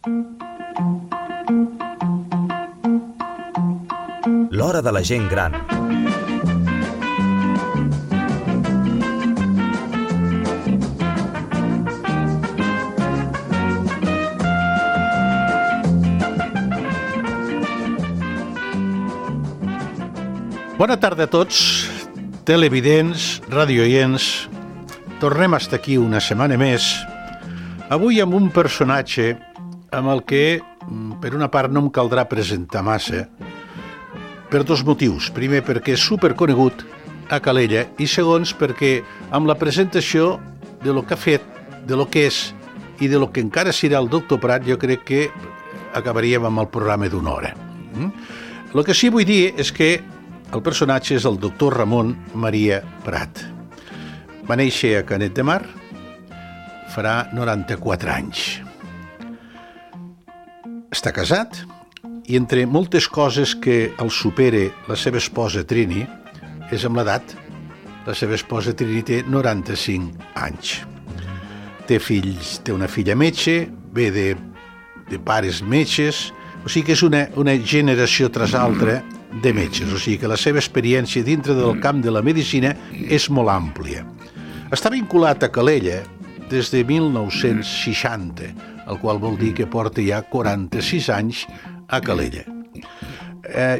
L'hora de la gent gran. Bona tarda a tots, televidents, radioients. Tornem a estar aquí una setmana més. Avui amb un personatge amb el que, per una part, no em caldrà presentar massa, per dos motius. Primer, perquè és superconegut a Calella, i segons, perquè amb la presentació de lo que ha fet, de lo que és i de lo que encara serà el doctor Prat, jo crec que acabaríem amb el programa d'una hora. El que sí vull dir és que el personatge és el doctor Ramon Maria Prat. Va néixer a Canet de Mar, farà 94 anys. Està casat i entre moltes coses que el supere la seva esposa Trini, és amb l'edat. La seva esposa Trini té 95 anys. Té fills, té una filla metge, ve de pares metges, o sigui que és una generació tras altra de metges, o sigui que la seva experiència dintre del camp de la medicina és molt àmplia. Està vinculat a Calella des de 1960, el qual vol dir que porta ja 46 anys a Calella.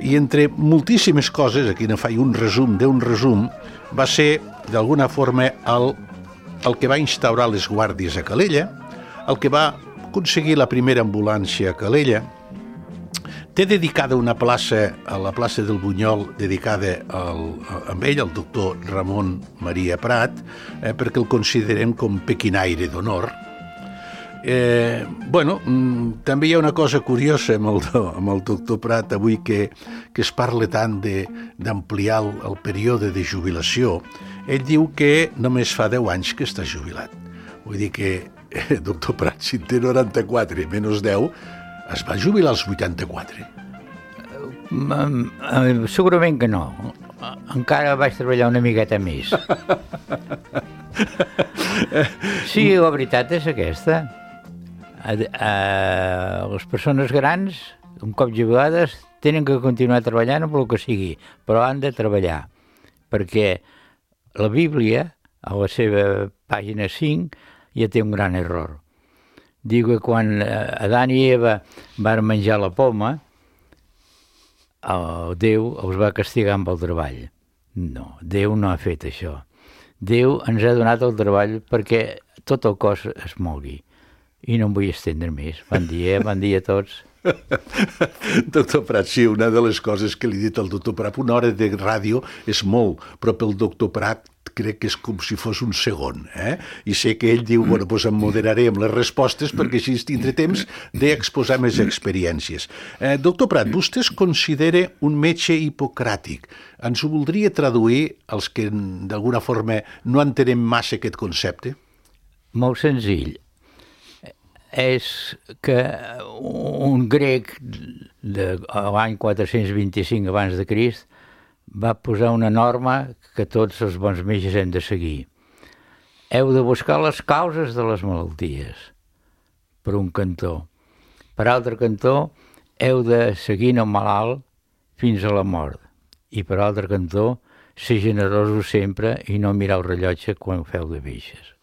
I entre moltíssimes coses, aquí ne faig un resum d'un resum, va ser, d'alguna forma, el que va instaurar les guàrdies a Calella, el que va aconseguir la primera ambulància a Calella. Té dedicada una plaça, a la plaça del Bunyol, dedicada amb ell, el doctor Ramon Maria Prat, perquè el considerem com pequinaire d'honor. També hi ha una cosa curiosa amb el doctor Prat avui, que es parla tant d'ampliar el període de jubilació. Ell diu que només fa 10 anys que està jubilat. Vull dir que, doctor Prat, si té 94 menys 10, es va jubilar als 84? Segurament que no. Encara vaig treballar una miqueta més. Sí, la veritat és aquesta. Les persones grans, un cop jubilades, tenen que continuar treballant amb el que sigui, però han de treballar. Perquè la Bíblia, a la seva pàgina 5, ja té un gran error. Diu que quan Adán i Eva van menjar la poma, Déu els va castigar amb el treball. No, Déu no ha fet això. Déu ens ha donat el treball perquè tot el cos es mogui. I no em vull estendre més. Bon dia a tots. Doctor Prat, sí, una de les coses que li he dit al doctor Prat, una hora de ràdio és molt, però pel doctor Prat crec que és com si fos un segon, I sé que ell diu, doncs em moderaré amb les respostes perquè així tindré temps d'exposar més experiències. Doctor Prat, vostè es considera un metge hipocràtic. Ens ho voldria traduir als que d'alguna forma no entenem massa aquest concepte? Molt senzill. És que un grec de l'any 425 abans de Crist va posar una norma que tots els bons metges hem de seguir. Heu de buscar les causes de les malalties, per un cantó. Per altre cantó, heu de seguir el malalt fins a la mort. I per altre cantó, ser generosos sempre i no mirar el rellotge quan feu de baixes.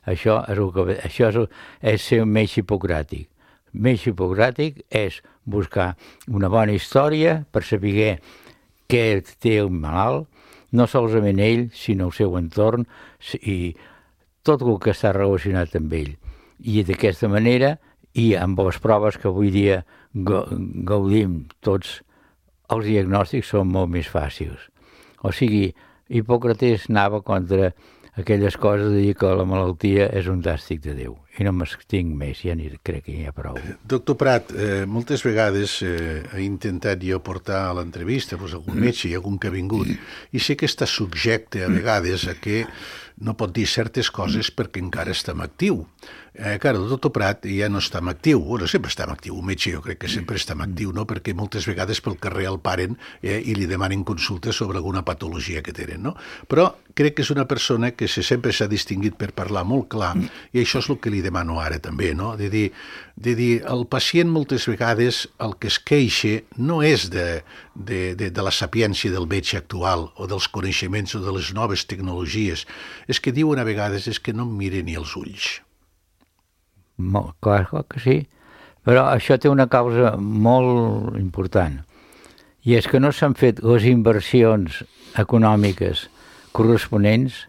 Això és ser un metge hipocràtic. Metge hipocràtic és buscar una bona història per saber què té el malalt, no solament ell, sinó el seu entorn i tot el que està relacionat amb ell. I d'aquesta manera, i amb les proves que avui dia gaudim tots, els diagnòstics són molt més fàcils. O sigui, Hipòcrates anava contra aquelles coses de dir que la malaltia és un càstig de Déu. I no m'estinc més, ja crec que hi ha prou. Doctor Prat, moltes vegades he intentat jo portar a l'entrevista algun metge i algun que ha vingut, i sé que està subjecte a vegades a que no pot dir certes coses perquè encara està en actiu. Clar, el doctor Prat ja no està en actiu, bueno, sempre està en actiu, un metge jo crec que sempre està en actiu, no? Perquè moltes vegades pel carrer el paren i li demanen consultes sobre alguna patologia que tenen, no? Però crec que és una persona que sempre s'ha distingut per parlar molt clar, i això és el que li li demano ara també, no? De dir, el pacient moltes vegades el que es queixa no és de la sapiència del metge actual o dels coneixements o de les noves tecnologies. És que diuen a vegades és que no em mira ni els ulls. Clar que sí, però això té una causa molt important, i és que no s'han fet les inversions econòmiques corresponents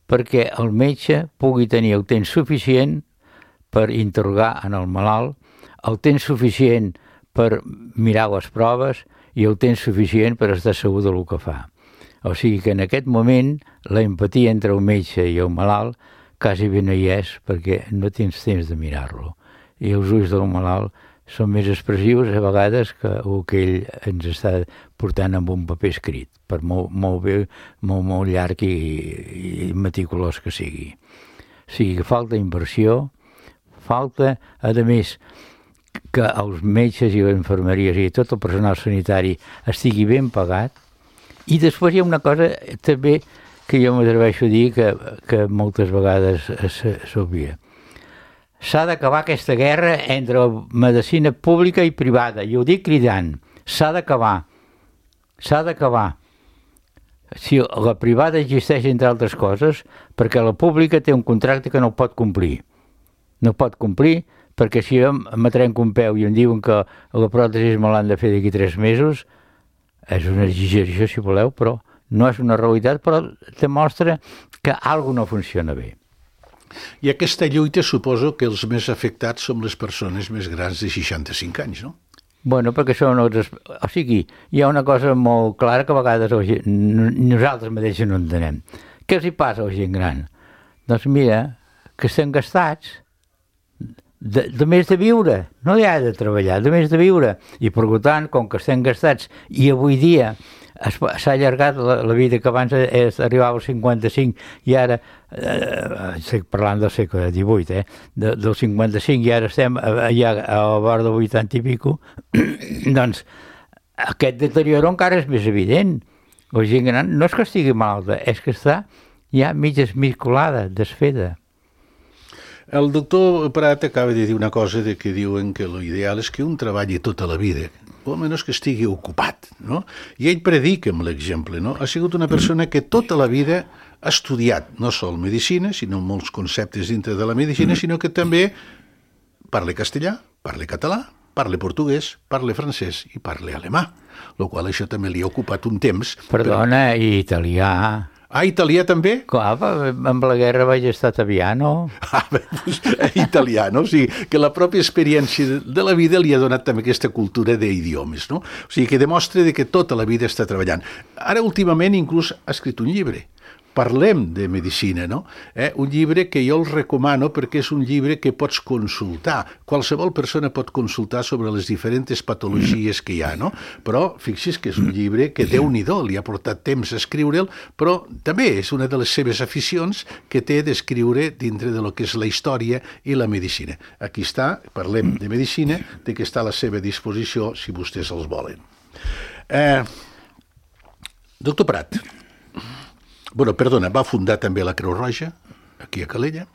perquè el metge pugui tenir el temps suficient per interrogar en el malalt, el temps suficient per mirar les proves i el temps suficient per estar segur del que fa. O sigui que en aquest moment la empatia entre el metge i el malalt quasi bé no hi és perquè no tens temps de mirar-lo. I els ulls del malalt són més expressius a vegades que el que ell ens està portant amb un paper escrit, per molt llarg i meticulós que sigui. O sigui que falta inversió, falta, a més, que els metges i les infermeries i tot el personal sanitari estigui ben pagat. I després hi ha una cosa també que jo m'atreveixo a dir que moltes vegades s'obvia. S'ha d'acabar aquesta guerra entre la medicina pública i privada, i ho dic cridant, s'ha d'acabar. Si la privada existeix, entre altres coses, perquè la pública té un contracte que no pot complir. No pot complir perquè si jo me trenco un peu i em diuen que la pròtesi me l'han de fer d'aquí 3 mesos, és una exageració, si voleu, però no és una realitat, però demostra que alguna no funciona bé. I aquesta lluita suposo que els més afectats són les persones més grans de 65 anys, no? Bueno, perquè són els... O sigui, hi ha una cosa molt clara que a vegades nosaltres mateixos no entenem. Què els hi passa a la gent gran? Doncs mira, que estem gastats de més de viure, no hi ha de treballar, de més de viure. I per tant, com que estem gastats i avui dia s'ha allargat la vida, que abans arribava als 55 i ara, estic parlant del segle XVIII, del 55 i ara estem ja a la vora del 80 i pico, doncs aquest deterioro encara és més evident. La gent gran no és que estigui malalta, és que està ja mig esmicolada, desfeta. El doctor Prat acaba de dir una cosa de que diuen que l'ideal és que un treballi tota la vida, o almenys que estigui ocupat, no? I ell predica amb l'exemple, no? Ha sigut una persona que tota la vida ha estudiat no sol medicina, sinó molts conceptes dintre de la medicina, sinó que també parla castellà, parla català, parla portuguès, parla francès i parla alemà, el qual això també li ha ocupat un temps. Perdona, i italià... Ah, italià també? Clar, amb la guerra vaig estar a Taviano. Doncs, italiano, o sigui, que la pròpia experiència de la vida li ha donat també aquesta cultura d'idiomes, no? O sigui, que demostra que tota la vida està treballant. Ara, últimament, inclús ha escrit un llibre. Parlem de medicina, no? Un llibre que jo el recomano perquè és un llibre que pots consultar. Qualsevol persona pot consultar sobre les diferents patologies que hi ha, no? Però fixi's que és un llibre que Déu-n'hi-do, li ha portat temps a escriure'l, però també és una de les seves aficions que té d'escriure dintre de lo que és la història i la medicina. Aquí està, parlem de medicina, de que està a la seva disposició si vostès els volen. Doctor Prat, va fundar també la Creu Roja, aquí a Calella,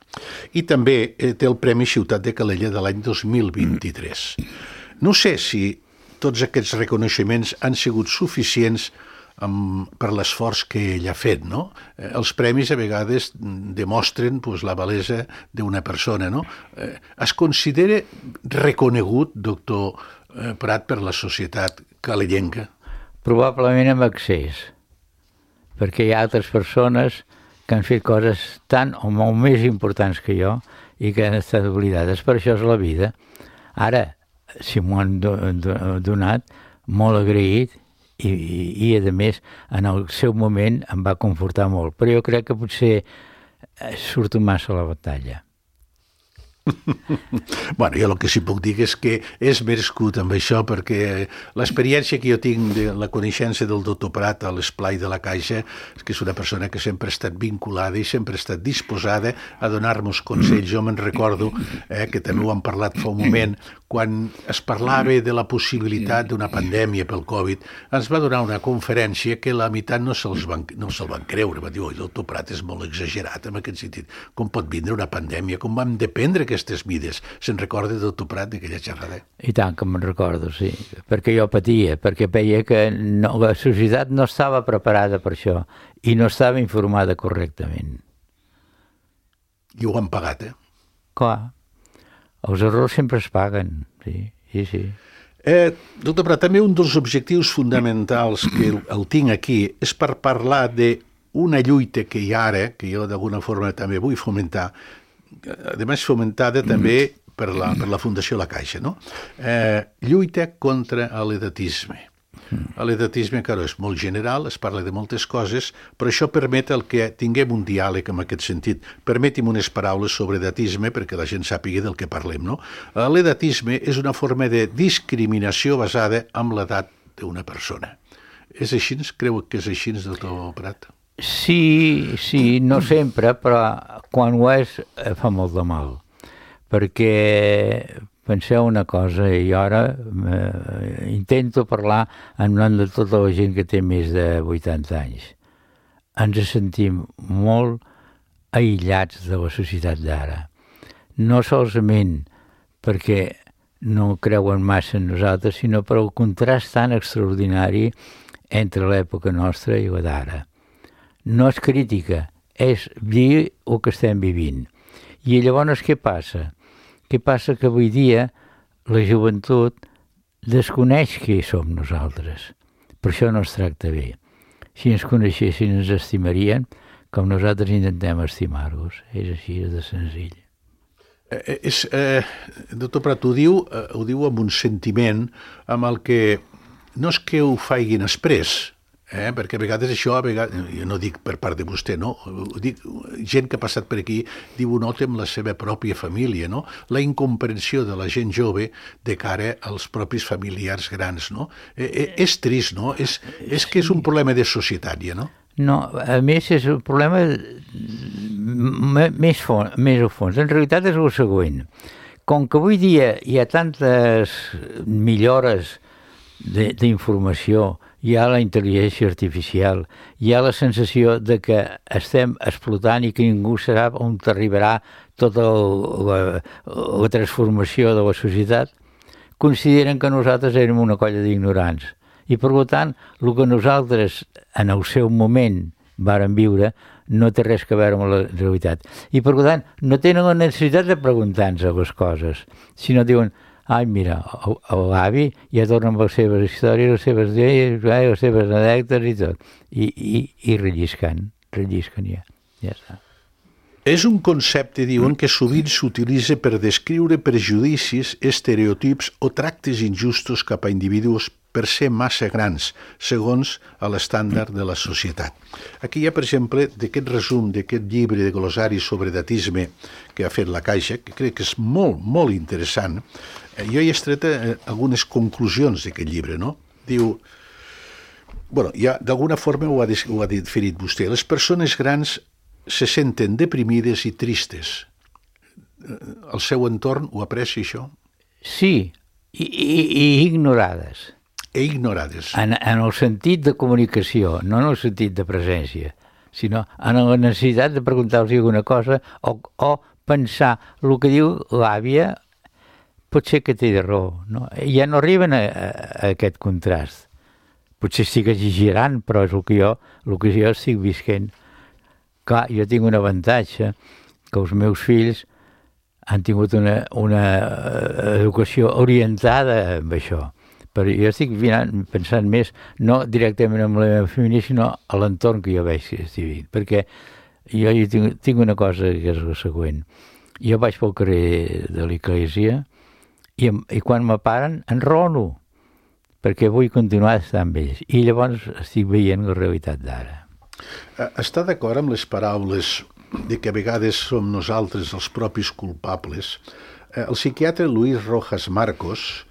i també té el Premi Ciutat de Calella de l'any 2023. No sé si tots aquests reconeixements han sigut suficients per l'esforç que ell ha fet, no? Els premis a vegades demostren la valesa d'una persona, no? Es considera reconegut, doctor Prat, per la societat calellenca? Probablement amb excés, perquè hi ha altres persones que han fet coses tan o molt més importants que jo i que han estat oblidades. Per això és la vida. Ara, si m'ho han donat, molt agraït i a més, en el seu moment em va confortar molt. Però jo crec que potser surto massa a la batalla. Bueno, jo el que sí puc dir és que és merescut amb això, perquè l'experiència que jo tinc de la coneixença del doctor Prat a l'esplai de la Caixa és que és una persona que sempre ha estat vinculada i sempre ha estat disposada a donar-nos consells. Jo me'n recordo, que també ho hem parlat fa un moment, quan es parlava de la possibilitat d'una pandèmia pel Covid, ens va donar una conferència que la meitat no se'l van creure. Va dir, oi, el doctor Prat és molt exagerat en aquest sentit. Com pot vindre una pandèmia? Com vam dependre aquestes mides? Se'n recorda el doctor Prat d'aquella xerrada? I tant que me'n recordo, sí. Perquè jo patia, perquè veia que la societat no estava preparada per això i no estava informada correctament. I ho han pagat, Clar. Els errors sempre es paguen, sí. Doctor Prat, també un dels objectius fonamentals que el tinc aquí és per parlar d'una lluita que hi ha ara, que jo d'alguna forma també vull fomentar, a més fomentada també per la Fundació La Caixa, no? Lluita contra l'edatisme. L'edatisme, claro, és molt general, es parla de moltes coses, però això permet el que tinguem un diàleg en aquest sentit. Permeti'm unes paraules sobre edatisme perquè la gent sàpiga del que parlem, no? L'edatisme és una forma de discriminació basada en l'edat d'una persona. És així? Creu que és així, doctor Prat? Sí, no sempre, però quan ho és fa molt de mal. Perquè penseu una cosa, i ara intento parlar en nom de tota la gent que té més de 80 anys. Ens sentim molt aïllats de la societat d'ara. No solament perquè no creuen massa en nosaltres, sinó per el contrast tan extraordinari entre l'època nostra i la d'ara. No és crítica, és dir el que estem vivint. I llavors què passa? Què passa? Que avui dia la joventut desconeix qui som nosaltres. Per això no es tracta bé. Si ens coneixessin ens estimarien com nosaltres intentem estimar-los. És així, és de senzill. Doctor Prat, ho diu amb un sentiment amb el que no és que ho facin exprés, perquè a vegades això, jo no dic per part de vostè, no? Ho dic, gent que ha passat per aquí diu, ho nota amb la seva pròpia família, no? La incomprensió de la gent jove de cara als propis familiars grans, no? És trist, no? És que és un problema de societat, ja, no? No, a més és un problema més a fons. En realitat és el següent. Com que avui dia hi ha tantes millores d'informació, hi ha la intel·ligència artificial, hi ha la sensació de que estem explotant i que ningú serà on arribarà tota la transformació de la societat, consideren que nosaltres érem una colla d'ignorants. I, per tant, el que nosaltres en el seu moment vàrem viure no té res a veure amb la realitat. I, per tant, no tenen la necessitat de preguntar-nos les coses, sinó diuen, ai, mira, l'avi ja torna amb les seves històries, les seves lleis, les seves anècdotes i tot. I relliscant ja està. És un concepte, diuen, que sovint s'utilitza per descriure prejudicis, estereotips o tractes injustos cap a individus per ser massa grans, segons l'estàndard de la societat. Aquí hi ha, per exemple, d'aquest resum, d'aquest llibre de glossari sobre edatisme que ha fet La Caixa, que crec que és molt, molt interessant. Jo he extret algunes conclusions d'aquest llibre, no? Diu, ja d'alguna forma ho ha definit vostè, les persones grans se senten deprimides i tristes. El seu entorn ho aprecia, això? Sí, i ignorades. Ignorades. En el sentit de comunicació, no en el sentit de presència, sinó en la necessitat de preguntar-los alguna cosa o pensar el que diu l'àvia pot ser que té raó. No? Ja no arriben a aquest contrast. Potser estic exagerant, però és el que jo estic visquent. Clar, jo tinc un avantatge, que els meus fills han tingut una educació orientada amb això. Però jo estic pensant més, no directament en la meva família, sinó a l'entorn que jo veig que estic vivint. Perquè jo tinc una cosa que és la següent. Jo vaig pel carrer de l'església i quan me paren enraono, perquè vull continuar estant amb ells. I llavors estic veient la realitat d'ara. Està d'acord amb les paraules de que a vegades som nosaltres els propis culpables? El psiquiatre Luis Rojas Marcos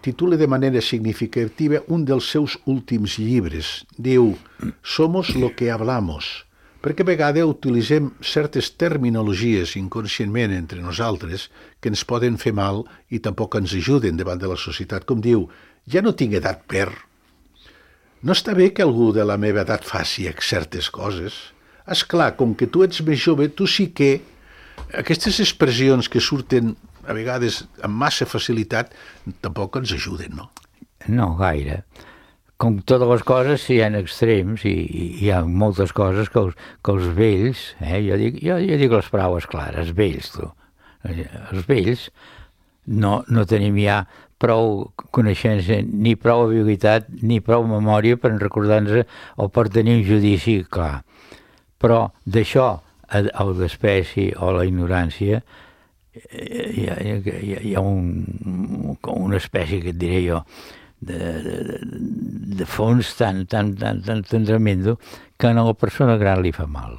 titula de manera significativa un dels seus últims llibres. Diu, «Somos lo que hablamos. perquè a vegades utilitzem certes terminologies inconscientment entre nosaltres que ens poden fer mal i tampoc ens ajuden davant de la societat. Com diu, ja no tinc edat per. No està bé que algú de la meva edat faci certes coses. És clar, com que tu ets més jove, tu sí que aquestes expressions que surten a vegades amb massa facilitat tampoc ens ajuden, no? No gaire. Com totes les coses, hi ha extrems i hi ha moltes coses que els vells, jo dic les paraules clares, vells, tu. Els vells no tenim ja prou coneixença, ni prou habilitat, ni prou memòria per recordar-nos o per tenir un judici clar. Però d'això, el d'espècie o la ignorància, hi ha una espècie que et diré jo, de fons tan tremendo que a la persona gran li fa mal.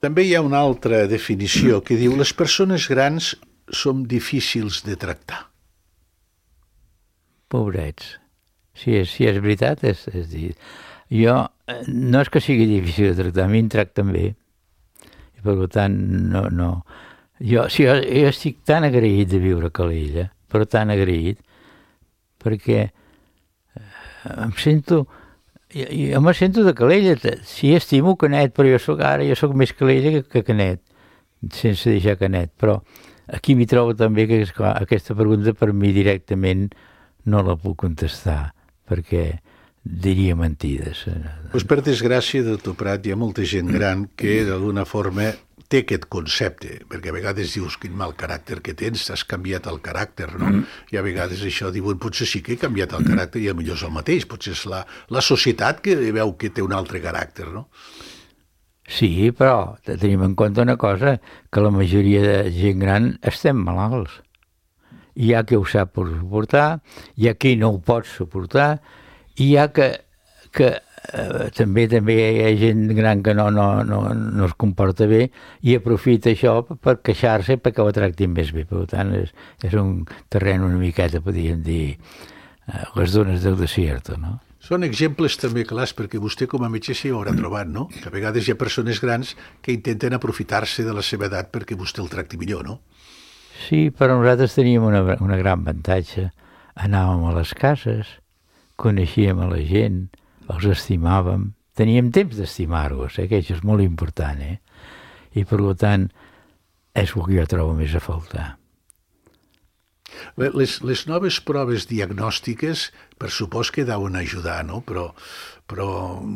També hi ha una altra definició que diu les persones grans som difícils de tractar. Pobrets. Si és veritat, és dir... Jo, no és que sigui difícil de tractar, a mi em tracten bé. I per tant, no... Jo estic tan agraït de viure a Calella, però tan agraït, perquè em sento... Jo me sento de Calella, sí, estimo Canet, però jo soc més Calella que Canet, sense deixar Canet, però aquí m'hi trobo també que aquesta pregunta per mi directament no la puc contestar, perquè diria mentides. Pues per desgràcia, doctor Prat, hi ha molta gent gran que d'alguna forma té aquest concepte, perquè a vegades dius quin mal caràcter que tens, has canviat el caràcter, no? I a vegades això diuen, potser sí que he canviat el caràcter i potser és el mateix, potser és la societat que veu que té un altre caràcter, no? Sí, però tenim en compte una cosa, que la majoria de gent gran estem malalts. Hi ha qui ho sap suportar, hi ha qui no ho pot suportar, i hi ha que també hi ha gent gran que no es comporta bé i aprofita això per queixar-se perquè ho tractin més bé. Per tant, és un terreny una miqueta, podríem dir, les dones del desierto, no? Són exemples també clars, perquè vostè com a metge s'hi haurà trobat, no? Que a vegades hi ha persones grans que intenten aprofitar-se de la seva edat perquè vostè el tracti millor, no? Sí, però nosaltres teníem una gran avantatge. Anàvem a les cases, coneixíem a la gent, els estimàvem, teníem temps d'estimar-los, que això és molt important, I per tant és el que jo trobo més a faltar. Les noves proves diagnòstiques per supòs que deuen ajudar, no? Però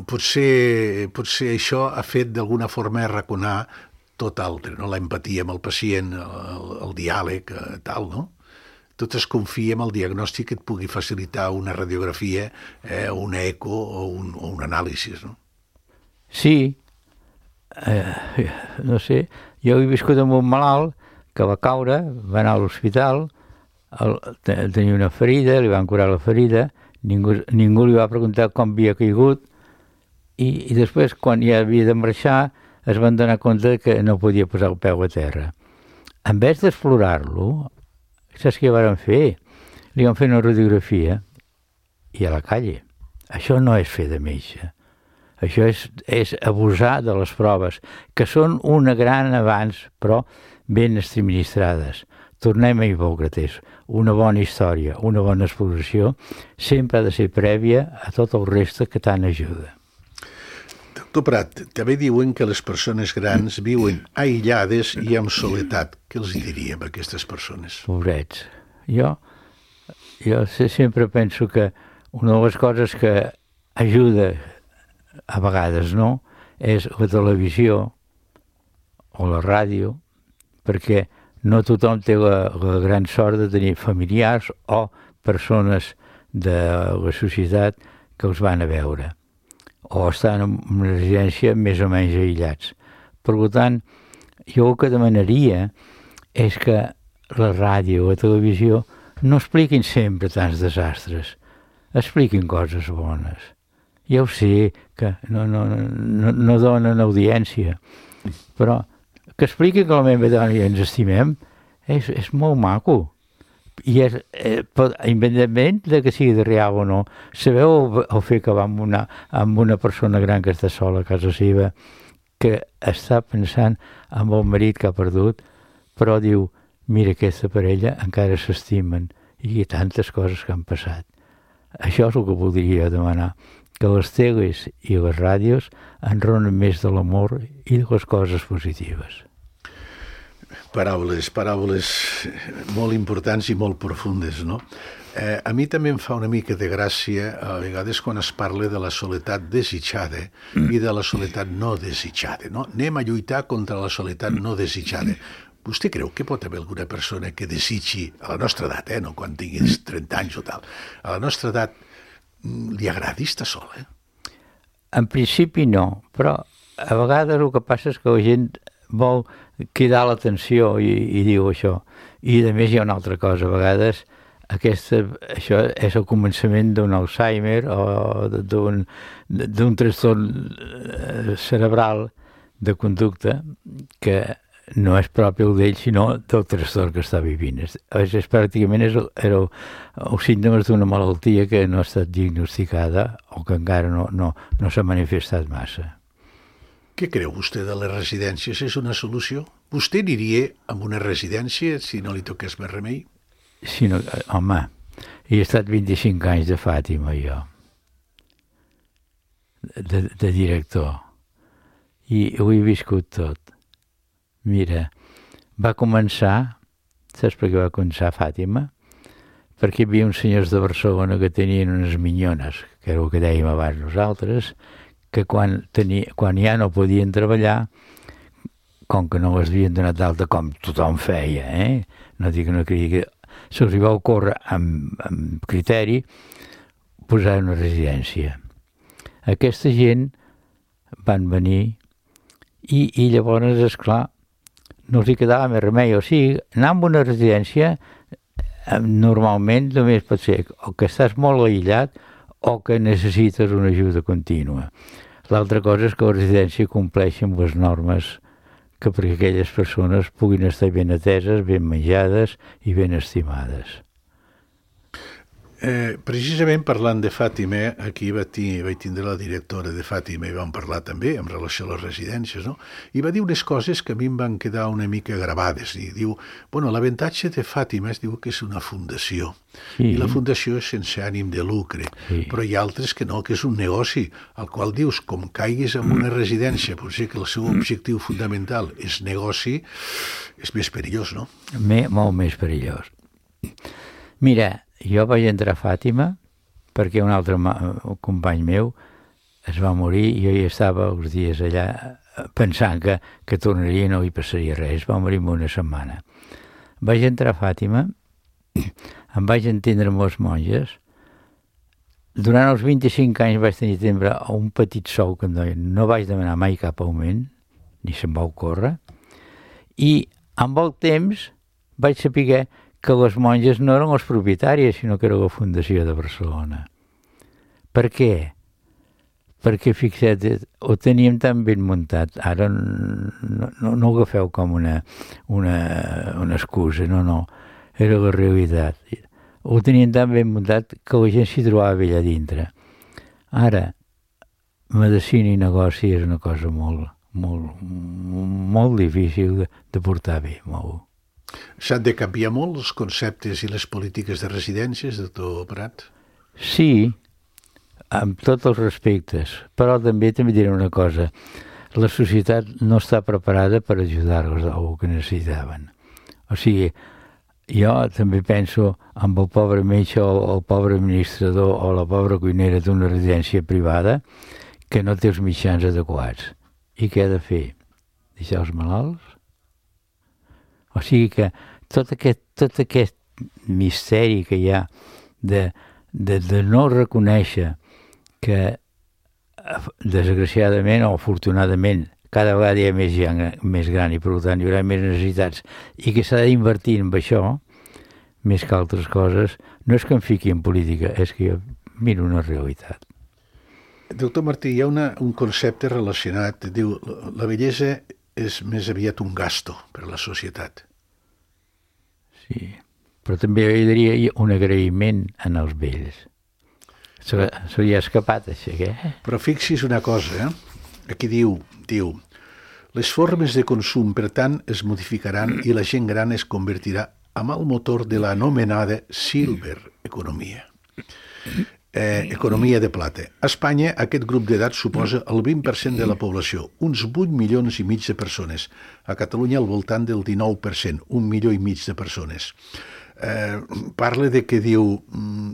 potser això ha fet d'alguna forma arraconar tot altre, no? L'empatia amb el pacient, el diàleg, tal, no? Tot es confia en el diagnòstic que et pugui facilitar una radiografia, una eco o un anàlisi, no? Sí, no sé, jo he viscut amb un malalt que va caure, va anar a l'hospital, tenia una ferida, li van curar la ferida, ningú li va preguntar com havia caigut i després, quan ja havia de marxar, es van donar compte que no podia posar el peu a terra. En vez d'explorar-lo, saps què van fer? Li van fer una radiografia i a la calle. Això no és fer de metge. Això és abusar de les proves, que són una gran avanç, però ben administrades. Tornem a Hipòcrates. Una bona història, una bona exploració, sempre ha de ser prèvia a tot el reste que tant ajuda. Doctor Prat, també diuen que les persones grans viuen aïllades i amb soledat. Què els diríem a aquestes persones? Pobrets. Jo sempre penso que una de les coses que ajuda, a vegades no, és la televisió o la ràdio, perquè no tothom té la gran sort de tenir familiars o persones de la societat que els van a veure o estan en una residència més o menys aïllats. Per tant, jo el que demanaria és que la ràdio o la televisió no expliquin sempre tants desastres, expliquin coses bones. Ja ho sé que no donen audiència, però que expliqui que la meva dona i ens estimem és molt maco, I és, independentment de que sigui de real o no. Sabeu el fet que va amb una persona gran que està sola a casa seva, que està pensant en el marit que ha perdut, però diu, mira, aquesta parella encara s'estimen, i hi ha tantes coses que han passat. Això és el que voldria demanar, que les teles i les ràdios enronen més de l'amor i de les coses positives. Paraules molt importants i molt profundes, no? A mi també em fa una mica de gràcia a vegades quan es parla de la soledat desitjada i de la soledat no desitjada, no? Anem a lluitar contra la soledat no desitjada. Vostè creu que pot haver alguna persona que desitgi, a la nostra edat, no quan tinguis 30 anys o tal, a la nostra edat li agradi estar sola? En principi no, però a vegades el que passa és que la gent vol cridar l'atenció i diu això. I a més hi ha una altra cosa, a vegades això és el començament d'un Alzheimer o d'un trastorn cerebral de conducta que no és propi d'ell, sinó del trastorn que està vivint. Pràcticament els símptomes d'una malaltia que no ha estat diagnosticada o que encara no s'ha manifestat massa. Què creu vostè de les residències? És una solució? Vostè aniria a una residència si no li toqués més remei? Sí, no, home, he estat 25 anys de Fàtima, jo, de director, i ho he viscut tot. Mira, va començar, saps per què va començar Fàtima? Perquè hi havia uns senyors de Barcelona que tenien unes minyones, que era el que dèiem abans nosaltres, que quan ja no podien treballar, com que no les havien donat d'alta com tothom feia, no dic que no cregui, se'ls va ocórrer amb criteri posar una residència. Aquesta gent van venir i llavors, esclar, no els hi quedava més remei. O sigui, anar a una residència normalment només pot ser o que estàs molt aïllat o que necessites una ajuda contínua. L'altra cosa és que la residència compleixi amb les normes que perquè aquelles persones puguin estar ben ateses, ben menjades i ben estimades. Precisament parlant de Fàtima, aquí vaig tindre la directora de Fàtima i vam parlar també en relació a les residències, no? I va dir unes coses que a mi em van quedar una mica gravades. I diu, l'avantatge de Fàtima es diu que és una fundació. Sí. I la fundació és sense ànim de lucre. Sí. Però hi ha altres que no, que és un negoci, al qual dius, com caiguis en una residència, potser que el seu objectiu fundamental és negoci, és més perillós, no? Molt més perillós. Mira, jo vaig entrar a Fàtima perquè un altre company meu es va morir i jo hi estava uns dies allà pensant que tornaria i no hi passaria res. Va morir en una setmana. Vaig entrar a Fàtima, em vaig entendre amb les monges. Durant els 25 anys vaig tenir sempre un petit sou que em deien. No vaig demanar mai cap augment, ni se'm va ocórrer. I amb el temps vaig saber que les monges no eren les propietàries, sinó que era la Fundació de Barcelona. Per què? Perquè, fixa't, ho teníem tan ben muntat. Ara no ho agafeu com una excusa, no. Era la realitat. Ho teníem tan ben muntat que la gent s'hi trobava allà dintre. Ara, medicina i negoci és una cosa molt difícil de portar bé, molt. S'han de canviar molt els conceptes i les polítiques de residències, doctor Prat? Sí, amb tots els respectes, però també diré una cosa. La societat no està preparada per ajudar-los al que necessitaven. O sigui, jo també penso en el pobre metge o el pobre administrador o la pobra cuinera d'una residència privada que no té els mitjans adequats. I què ha de fer? Deixar els malalts? O sigui que tot aquest misteri que hi ha de no reconèixer que, desgraciadament o afortunadament, cada vegada hi ha més gent més gran i per tant hi haurà més necessitats i que s'ha d'invertir en això, més que altres coses, no és que em fiqui en política, és que jo miro una realitat. Doctor Martí, hi ha un concepte relacionat, diu, la bellesa és més aviat un gasto per a la societat. Sí, Però també hi diria un agraïment en els vells. Se li ha escapat, això, què? Però fixi's una cosa, aquí diu, les formes de consum, per tant, es modificaran i la gent gran es convertirà en el motor de l'anomenada silver economia. Economia de plata. A Espanya, aquest grup d'edat suposa el 20% de la població, uns 8 milions i mig de persones. A Catalunya, al voltant del 19%, 1,5 milions de persones. Parla de que diu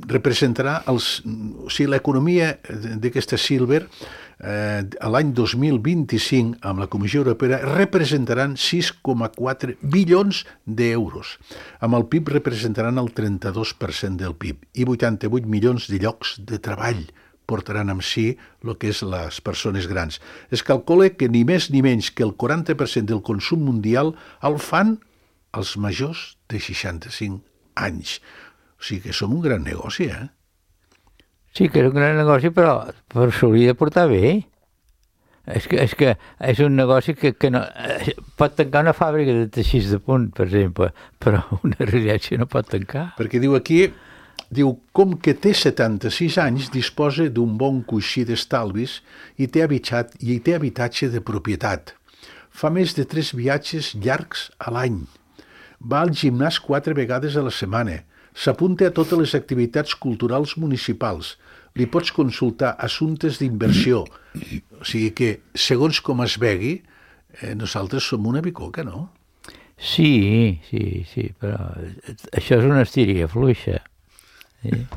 representarà l'economia d'aquesta silver a l'any 2025 amb la Comissió Europea representaran 6,4 bilions d'euros. Amb el PIB representaran el 32% del PIB i 88 milions de llocs de treball portaran amb si el que és les persones grans. Es calcula que ni més ni menys que el 40% del consum mundial el fan els majors de 65 anys. O sigui que som un gran negoci, Sí, que és un gran negoci, però s'hauria de portar bé. És que és un negoci que no... Pot tancar una fàbrica de teixits de punt, per exemple, però una residència no pot tancar. Perquè diu aquí, com que té 76 anys, disposa d'un bon coixí d'estalvis i té habitatge de propietat. Fa més de 3 viatges llargs a l'any. Va al gimnàs 4 vegades a la setmana. S'apunta a totes les activitats culturals municipals. Li pots consultar assumptes d'inversió. O sigui que, segons com es vegui, nosaltres som una bicoca, no? Sí, però això és una estiria fluixa. Sí.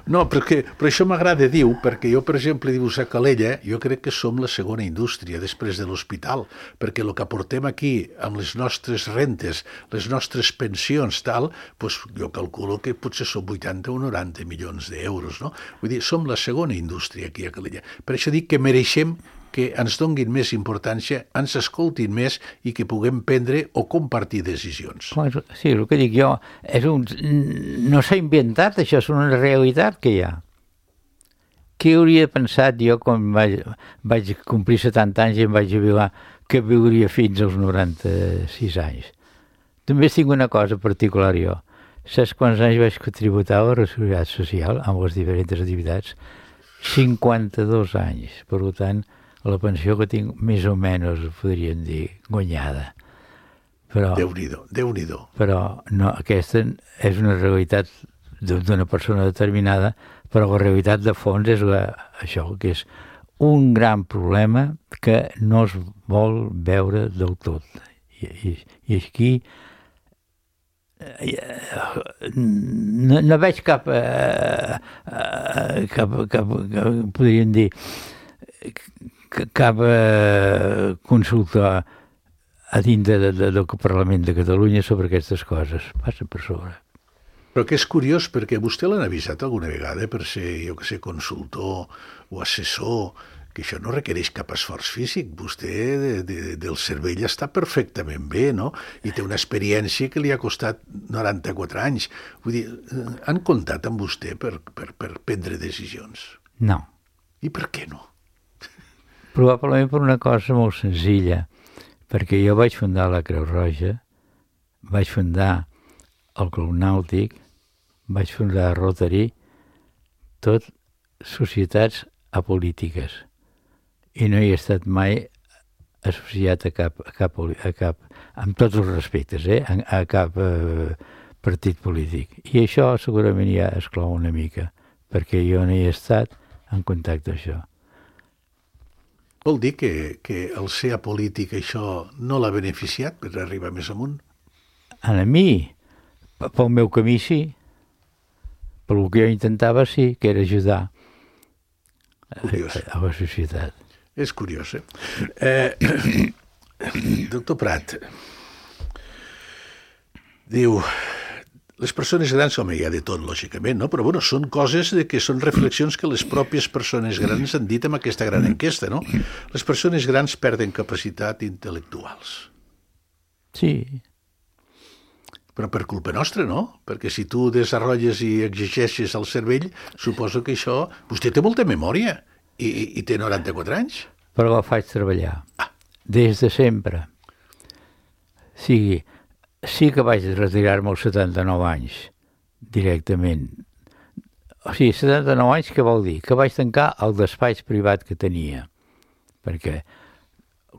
No, però això m'agrada, diu, perquè jo, per exemple, dius a Calella, jo crec que som la segona indústria després de l'hospital, perquè el que aportem aquí amb les nostres rentes, les nostres pensions, tal, doncs jo calculo que potser són 80 o 90 milions d'euros, no? Vull dir, som la segona indústria aquí a Calella. Per això dic que mereixem que ens donguin més importància, ens escoltin més i que puguem prendre o compartir decisions. Sí, el que dic jo, no s'ha inventat, això és una realitat que hi ha. Què hauria pensat jo quan vaig complir 70 anys i em vaig jubilar que viuria fins als 96 anys? També tinc una cosa particular jo. Saps quants anys vaig contributar a la Seguretat Social amb les diferents activitats? 52 anys, per tant, la pensió que tinc més o menys, podríem dir, guanyada. Però, Déu-n'hi-do. Però no, aquesta és una realitat d'una persona determinada, però la realitat de fons és això, que és un gran problema que no es vol veure del tot. I aquí no veig cap podríem dir, cap consulta a dintre del Parlament de Catalunya sobre aquestes coses. Passa per sobre. Però que és curiós, perquè vostè l'han avisat alguna vegada per ser, jo que sé, consultor o assessor, que això no requereix cap esforç físic. Vostè del cervell està perfectament bé, no? I té una experiència que li ha costat 94 anys. Vull dir, han comptat amb vostè per prendre decisions? No. I per què no? Probablement per una cosa molt senzilla, perquè jo vaig fundar la Creu Roja, vaig fundar el Club Nàutic, vaig fundar Rotary, tot societats apolítiques, i no hi he estat mai associat a cap amb tots els respectes, a cap partit polític. I això segurament ja exclou una mica, perquè jo no hi he estat en contacte amb això. Vol dir que el ser apolític això no l'ha beneficiat per arribar més amunt? A mi, pel meu camí sí, pel que jo intentava sí, que era ajudar a la societat. És curiós, Doctor Prat, diu... Les persones grans, home, hi ha de tot, lògicament, no? Però, bueno, són coses que són reflexions que les pròpies persones grans han dit amb aquesta gran enquesta, no? Les persones grans perden capacitat intel·lectuals. Sí. Però per culpa nostra, no? Perquè si tu desenvolupes i exigeixes el cervell, suposo que això... Vostè té molta memòria i té 94 anys. Però la faig treballar. Des de sempre. Sí, sí que vaig retirar-me als 79 anys, directament. O sigui, 79 anys què vol dir? Que vaig tancar el despatx privat que tenia. Perquè,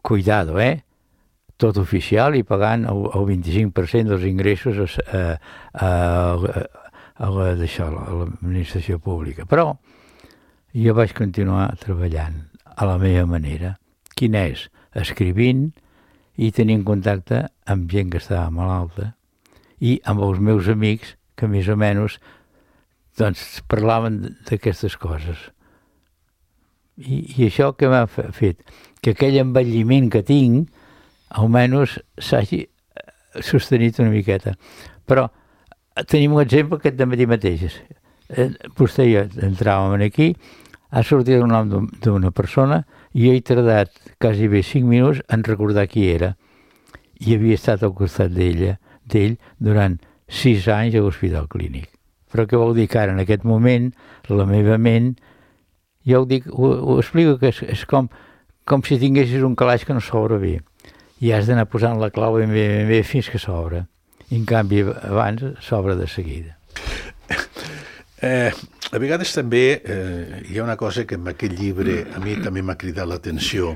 cuidado, tot oficial i pagant el 25% dels ingressos a l'administració pública. Però jo vaig continuar treballant a la meva manera. Quina és? Escrivint i tenint contacte amb gent que estava malalta i amb els meus amics que més o menys doncs, parlaven d'aquestes coses. I això que m'ha fet? Que aquell envelliment que tinc almenys s'hagi sostenit una miqueta. Però tenim un exemple aquest de matí mateix. Vostè i jo entràvem aquí, ha sortit el nom d'una persona i jo he tardat quasi bé 5 minuts en recordar qui era. I havia estat al costat d'ell durant 6 anys a l'Hospital Clínic. Però què vol dir que ara, en aquest moment, la meva ment, jo ho explico que és com si tinguessis un calaix que no s'obre bé. I has d'anar posant la clau ben bé fins que s'obre. I en canvi, abans s'obre de seguida. A vegades també hi ha una cosa que en aquest llibre a mi també m'ha cridat l'atenció,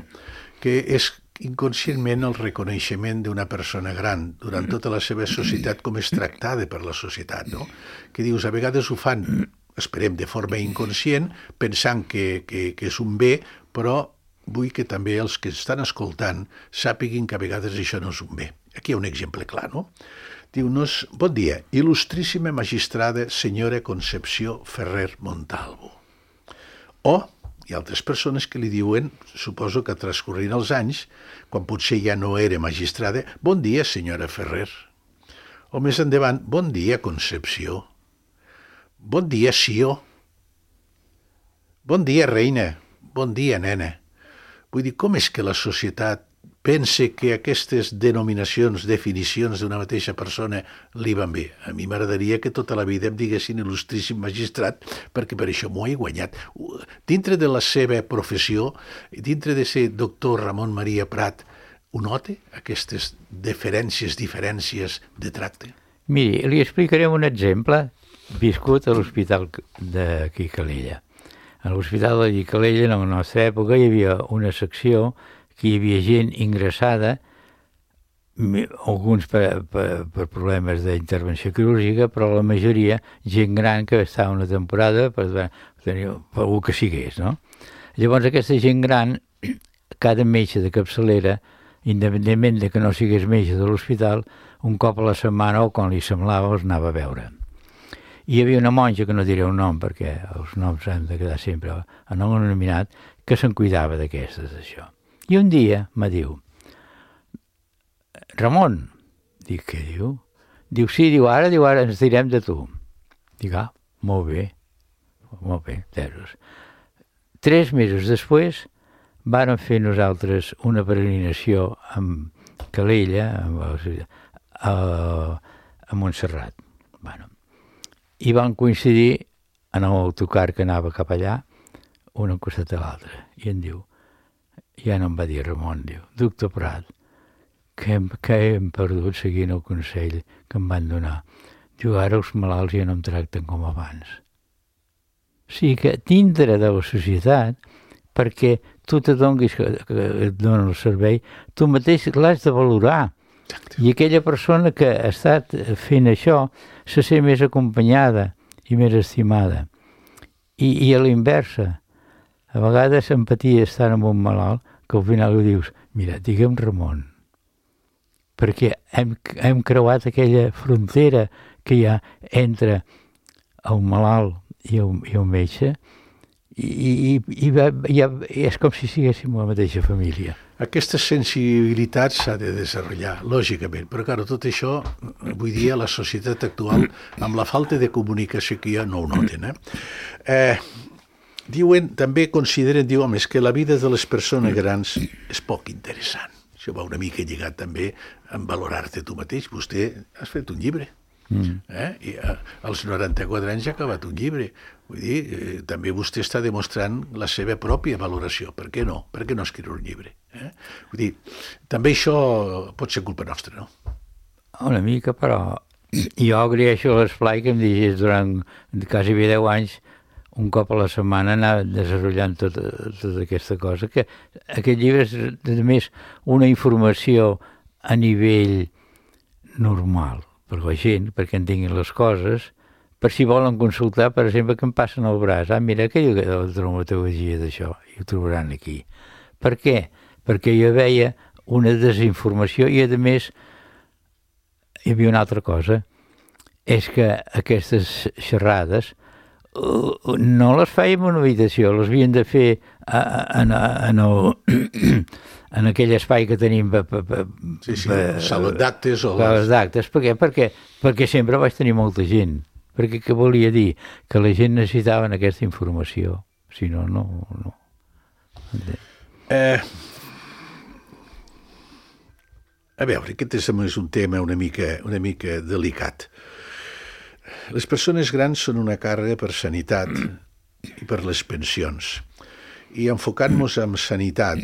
que és inconscientment el reconeixement d'una persona gran durant tota la seva societat, com és tractada per la societat, no? Que dius, a vegades ho fan, esperem, de forma inconscient, pensant que és un bé, però vull que també els que estan escoltant sàpiguin que a vegades això no és un bé. Aquí hi ha un exemple clar, no? Diu-nos, bon dia, il·lustríssima magistrada senyora Concepció Ferrer Montalvo. O hi ha altres persones que li diuen, suposo que transcorrint els anys, quan potser ja no era magistrada, bon dia senyora Ferrer. O més endavant, bon dia Concepció. Bon dia Sió. Bon dia reina. Bon dia nena. Vull dir, com és que la societat pensa que aquestes denominacions, definicions d'una mateixa persona li van bé? A mi m'agradaria que tota la vida em diguessin il·lustríssim magistrat, perquè per això m'ho he guanyat. Dintre de la seva professió, dintre de ser doctor Ramon Maria Prat, ho nota, aquestes diferències de tracte? Miri, li explicaré un exemple viscut a l'Hospital de Calella. A l'Hospital de Calella, en la nostra època, hi havia una secció que hi havia gent ingressada, alguns per problemes d'intervenció quirúrgica, però la majoria gent gran que estava una temporada per tenir algú que sigués, no? Llavors aquesta gent gran, cada metge de capçalera, independentment de que no sigués metge de l'hospital, un cop a la setmana o quan li semblava els anava a veure. Hi havia una monja, que no diré un nom perquè els noms han de quedar sempre anonimat, que se'n cuidava d'aquestes, d'això. I un dia me diu, Ramon, dic, què diu? Diu, sí, ara ens direm de tu. Dic, molt bé, 3 mesos després vàrem fer nosaltres una peregrinació amb Calella, a Montserrat. I van coincidir en l'autocar que anava cap allà, un al costat de l'altre. I em diu, ja no em va dir Ramon, diu, doctor Prat, que hem perdut seguint el consell que em van donar. Diu, ara els malalts ja no em tracten com abans. O sigui que dintre de la societat, perquè tu te donis que et donen el servei, tu mateix l'has de valorar. I aquella persona que ha estat fent això se sent més acompanyada i més estimada. I a l'inversa, a vegades empatia estar amb un malalt que al final ho dius, mira, digue'm Ramon, perquè hem creuat aquella frontera que hi ha entre el malalt i el metge i és com si siguéssim la mateixa família. Aquesta sensibilitat s'ha de desenvolupar, lògicament, però clar, tot això, avui dia, la societat actual, amb la falta de comunicació que hi ha, no ho noten. Diuen, també consideren, és que la vida de les persones grans és poc interessant. Això va una mica lligat també en valorar-te tu mateix. Vostè has fet un llibre. I als 94 anys ha acabat un llibre. Vull dir, també vostè està demostrant la seva pròpia valoració. Per què no? Per què no escriure un llibre? Vull dir, també això pot ser culpa nostra, no? Una mica, però jo agraeixo l'esplai que em digis durant quasi 10 anys, un cop a la setmana, anar desenvolupant tota aquesta cosa, que aquest llibre és, a més, una informació a nivell normal per la gent, perquè entenguin les coses, per si volen consultar, per exemple, que em passen al braç. Mira, que jo de la traumatologia d'això, i ho trobaran aquí. Per què? Perquè jo veia una desinformació i, a més, hi havia una altra cosa, és que aquestes xerrades no les fèiem en una habitació, les havien de fer en aquell espai que tenim saló d'actes o les d'actes. Per què? Perquè sempre vaig tenir molta gent. Perquè què volia dir? Que la gent necessitava aquesta informació. Si no, no. A veure, aquest és un tema una mica delicat. Les persones grans són una càrrega per sanitat i per les pensions. I enfocant-nos en sanitat,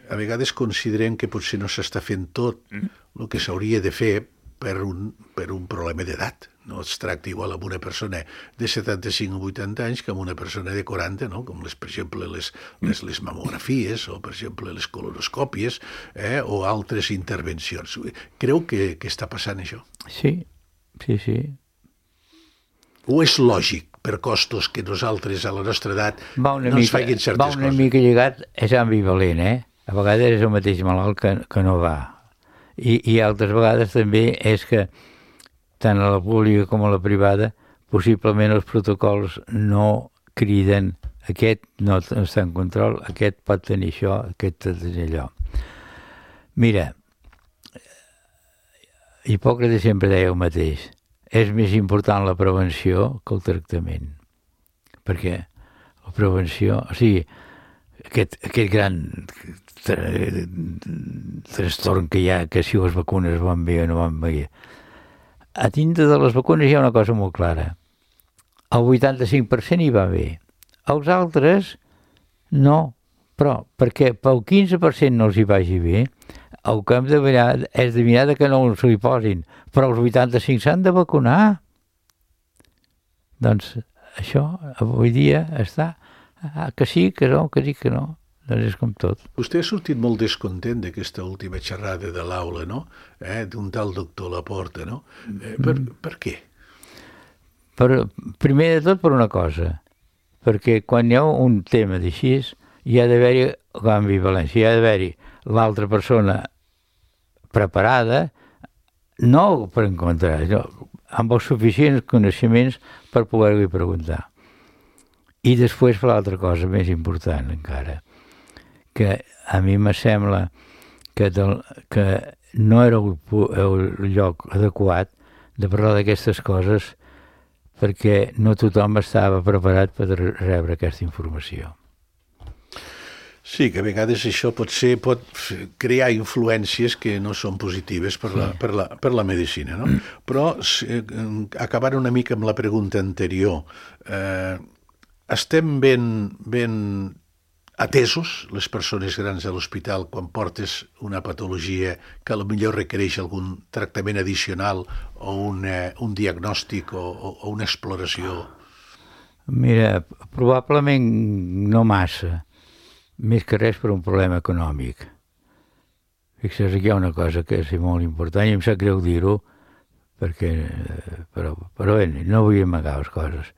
a vegades considerem que potser no s'està fent tot el que s'hauria de fer per un problema d'edat. No es tracta igual amb una persona de 75 o 80 anys que amb una persona de 40, no? Com per exemple les mamografies o per exemple les colonoscòpies o altres intervencions. Creu que està passant això? Sí. O és lògic per costos que nosaltres a la nostra edat no ens facin certes coses? Va una mica lligat, és ambivalent, A vegades és el mateix malalt que no va. I altres vegades també és que tant a la pública com a la privada possiblement els protocols no criden aquest no està en control, aquest pot tenir això, aquest pot tenir allò. Mira, Hipòcrates sempre deia el mateix, és més important la prevenció que el tractament, perquè la prevenció, o sigui, aquest gran trastorn que hi ha, que si les vacunes van bé o no van bé. A dintre de les vacunes hi ha una cosa molt clara. El 85% hi va bé. Els altres, no. Però perquè pel 15% no els hi vagi bé, el que hem de mirar és de mirar que no se li posin. Però els 85 s'han de vacunar. Doncs això avui dia està que sí, que no, que sí, que no. Doncs és com tot. Vostè ha sortit molt descontent d'aquesta última xerrada de l'aula, no? D'un tal doctor Laporta, no? Per què? Primer de tot per una cosa, perquè quan hi ha un tema d'així hi ha d'haver-hi ambivalència, hi ha d'haver-hi l'altra persona preparada, no per encontrar, amb els suficients coneixements per poder-li preguntar. I després per l'altra cosa més important encara, que a mi me sembla que no era el lloc adequat de parlar d'aquestes coses perquè no tothom estava preparat per rebre aquesta informació. Sí, que a vegades això pot crear influències que no són positives per la medicina, no? Però, acabant una mica amb la pregunta anterior, estem ben atesos les persones grans a l'hospital quan portes una patologia que potser requereix algun tractament addicional o un diagnòstic o una exploració? Mira, probablement no massa, més que res per un problema econòmic. Fixa't, aquí hi ha una cosa que és molt important i em sap greu dir-ho, però no vull amagar les coses.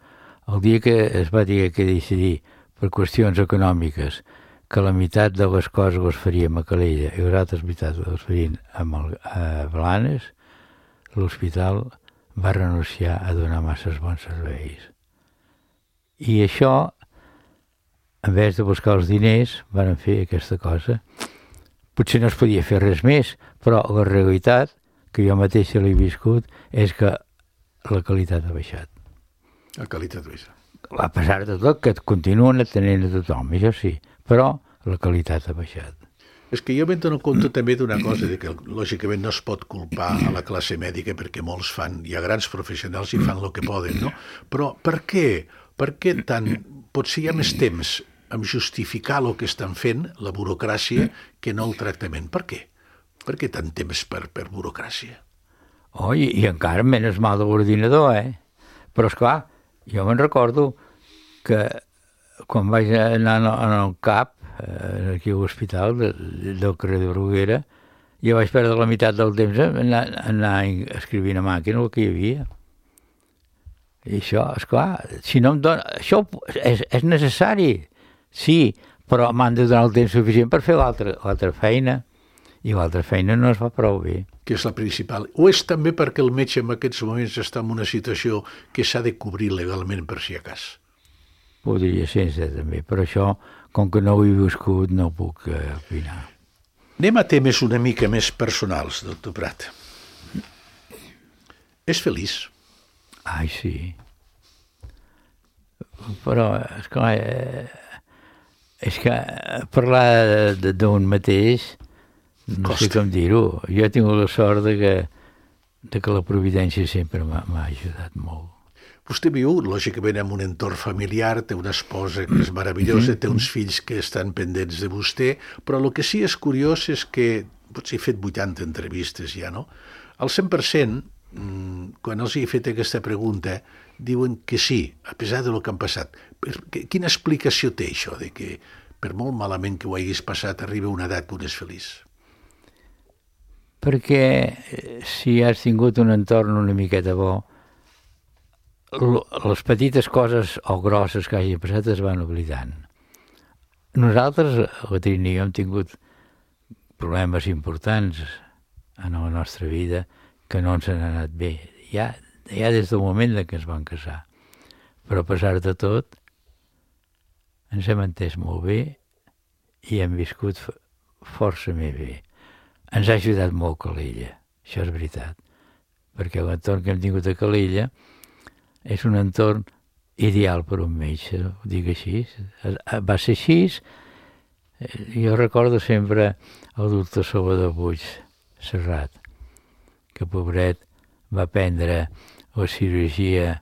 El dia que es va dir que decidir per qüestions econòmiques que la meitat de les coses les faríem a Calella i les altres meitats les farien a Blanes, l'hospital va renunciar a donar masses bons serveis. I això, en vez de buscar els diners, van fer aquesta cosa. Potser no es podia fer res més, però la realitat, que jo mateix l'he viscut, és que la qualitat ha baixat. La qualitat ha baixat. A pesar de tot, que continuen atenent a tothom, això sí, però la qualitat ha baixat. És que jo me'n dono compte també d'una cosa, que lògicament no es pot culpar a la classe mèdica perquè molts hi ha grans professionals i fan el que poden, no? Però per què? Per què tant? Potser hi ha més temps en justificar el que estan fent, la burocràcia, que no el tractament. Per què? Per què tant temps per burocràcia? I encara menys mal de l'ordinador, Però, esclar, jo me'n recordo que quan vaig anar en el CAP, aquí a l'hospital del carrer de Bruguera, jo vaig perdre la meitat del temps anar escrivint a màquina el que hi havia. I això, esclar, si no em dona... Això és necessari, sí, però m'han de donar el temps suficient per fer l'altra feina, i l'altra feina no es fa prou bé. Que és la principal. O és també perquè el metge en aquests moments està en una situació que s'ha de cobrir legalment per si acas? Podria ser, també, però això, com que no ho he viscut, no puc opinar. Anem a temes una mica més personals, doctor Prat. És feliç? Ai, sí. Però, esclar, és que parlar d'un mateix, no sé com dir-ho. Jo he tingut la sort de que la providència sempre m'ha ajudat molt. Vostè viu, lògicament, en un entorn familiar, té una esposa que és meravellosa, té uns fills que estan pendents de vostè, però el que sí és curiós és que, potser he fet 80 entrevistes ja, no? Al 100%, quan els he fet aquesta pregunta, diuen que sí, a pesar del que han passat. Quina explicació té això, de que per molt malament que ho haguis passat, arriba una edat que un és feliç? Perquè si has tingut un entorn una miqueta bo, les petites coses o grosses que hagi passat es van oblidant. Nosaltres, la Trini i jo, hem tingut problemes importants en la nostra vida que no ens han anat bé. Ja des del moment que ens vam casar. Però a pesar de tot, ens hem entès molt bé i hem viscut força més bé. Ens ha ajudat molt Calella, això és veritat, perquè l'entorn que hem tingut a Calella és un entorn ideal per un metge, ho dic així. Va ser així. Jo recordo sempre el doctor Salvador Puig Serrat, que pobret va prendre la cirurgia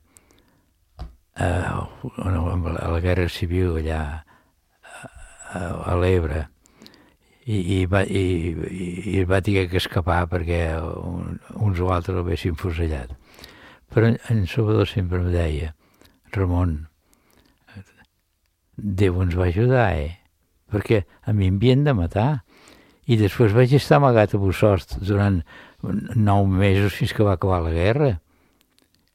a la Guerra Civil allà a l'Ebre i va haver que escapar perquè uns o altres l'haguessin fusellat. Però en Salvador sempre em deia: Ramon, Déu ens va ajudar, perquè a mi em havien de matar. I després vaig estar amagat a Bossòst durant 9 mesos fins que va acabar la guerra.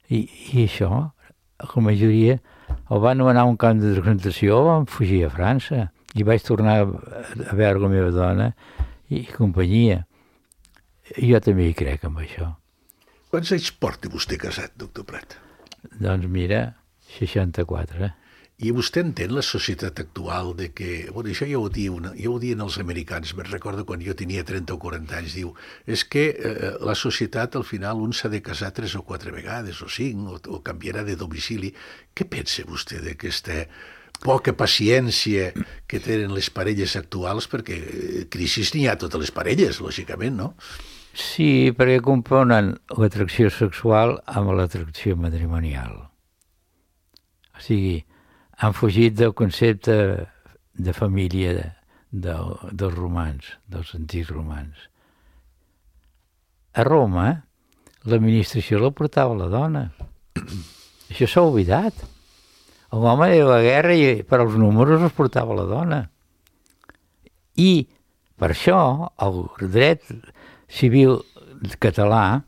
I això, la majoria, el van anomenar un camp de concentració, vam fugir a França. I vaig tornar a veure la meva dona i companyia. I jo també hi crec amb això. Quants anys porta vostè casat, doctor Prat? Doncs mira, 64. I vostè entén la societat actual de que... Bueno, això ja ho diuen els americans. Me'n recordo quan jo tenia 30 o 40 anys, diu, és que la societat al final un s'ha de casar 3 o 4 vegades, o 5, o canviarà de domicili. Què pensa vostè d'aquesta poca paciència que tenen les parelles actuals? Perquè crisis n'hi ha a totes les parelles, lògicament, no? Sí, perquè componen l'atracció sexual amb l'atracció matrimonial. O sigui, han fugit del concepte de família dels romans, dels antics romans. A Roma, l'administració la portava la dona. Això s'ha oblidat. L'home de la guerra, per als números, els portava la dona. I per això el dret civil català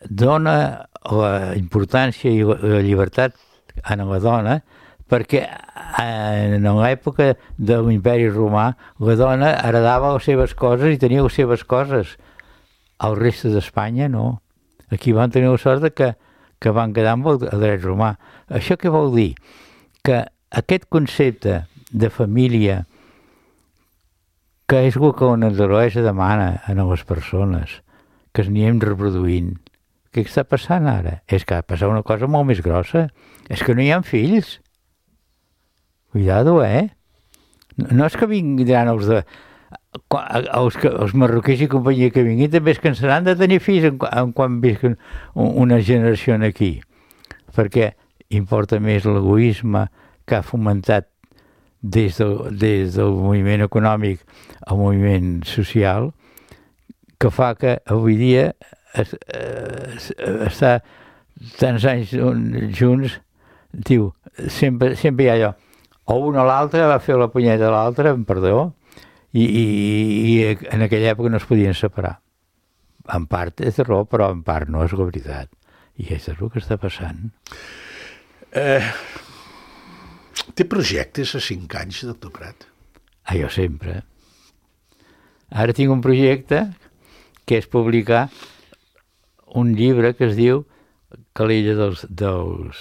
dona la importància i la llibertat a la dona perquè en l'època de l'imperi romà la dona heredava les seves coses i tenia les seves coses. El reste d'Espanya no. Aquí van tenir la sort que van quedar amb el dret romà. Això què vol dir? Que aquest concepte de família, que és el que la naturalesa demana a les persones, que es anem reproduint. Què està passant ara? És que ha passat una cosa molt més grossa. És que no hi ha fills. Cuidado, No és que vindran els marroquins i companyia que vinguin, també es cansaran de tenir fills quan visquen una generació aquí. Perquè importa més l'egoisme que ha fomentat des del moviment econòmic al moviment social, que fa que avui dia estar tants anys junts, diu, sempre hi ha allò, o un o l'altre va fer la punyeta a l'altre, amb perdó, i en aquella època no es podien separar. En part és raó, però en part no és la veritat. I és el que està passant. Té projectes a 5 anys, doctor Prat? Jo sempre. Ara tinc un projecte que és publicar un llibre que es diu Calella dels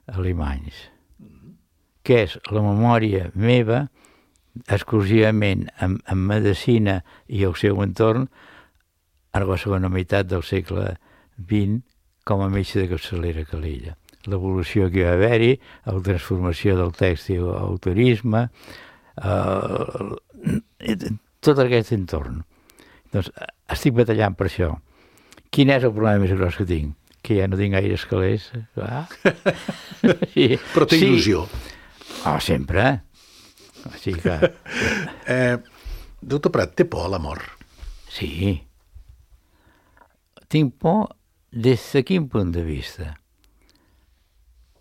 alemanys, que és la memòria meva exclusivament en medicina i el seu entorn a la segona meitat del segle XX com a metge de capçalera a Calella. L'evolució que hi va haver-hi, la transformació del tèxtil al turisme, tot aquest entorn. Doncs estic batallant per això. Quin és el problema més gros que tinc? Que ja no tinc gaire calés. Sí. Però té il·lusió. Sempre. Així que... Doctor Prat, té por a la mort? Sí. Tinc por des de quin punt de vista?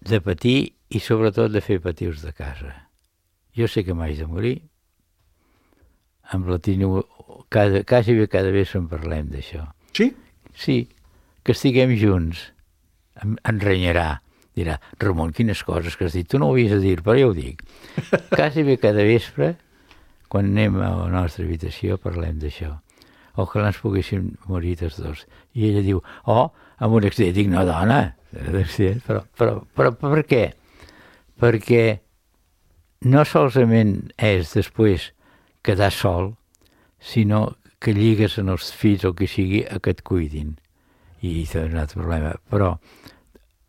De patir i sobretot de fer patir els de casa. Jo sé que m'haig de morir. Amb la Tino, quasi cada vegada en parlem d'això. Sí? Sí, que estiguem junts. Em renyarà. Dirà, Ramon, quines coses que has dit. Tu no ho havies de dir, però jo ho dic. Quasi bé cada vespre, quan anem a la nostra habitació, parlem d'això. Ojalà ens poguéssim morir tots dos. I ella diu, amb un accident. Dic, no, dona, però per què? Perquè no solament és després quedar sol, sinó que lligues en els fills o que sigui a que et cuidin. I és un altre problema. Però